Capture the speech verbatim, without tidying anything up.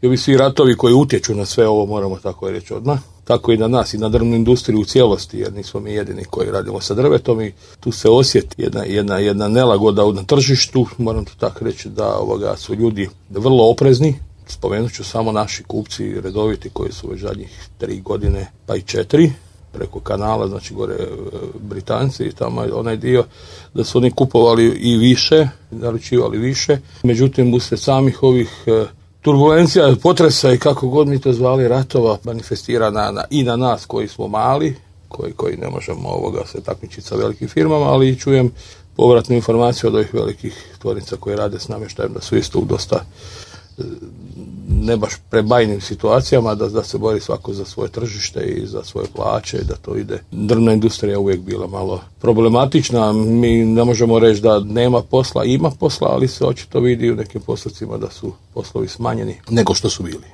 i ovi svi ratovi koji utječu na sve ovo, moramo tako reći odmah, tako i na nas i na drvnu industriju u cijelosti, jer nismo mi jedini koji radimo sa drvetom i tu se osjeti jedna, jedna, jedna nelagoda na tržištu. Moram to tako reći da ovoga su ljudi vrlo oprezni. Spomenut ću samo naši kupci redoviti koji su već zadnjih tri godine pa i četiri preko kanala, znači gore Britanci i tamo onaj dio, da su oni kupovali i više, naručivali više. Međutim, uslijed samih ovih e, turbulencija, potresa i kako god mi to zvali, ratova, manifestira na, na, i na nas koji smo mali, koji, koji ne možemo ovoga se takmičiti sa velikim firmama, ali i čujem povratnu informaciju od ovih velikih tvornica koje rade s namještajem da su isto u dosta ne baš prebajnim situacijama, da, da se bori svako za svoje tržište i za svoje plaće, da to ide. Drvna industrija uvijek bila malo problematična, mi ne možemo reći da nema posla, ima posla, ali se očito vidi u nekim postocima da su poslovi smanjeni nego što su bili.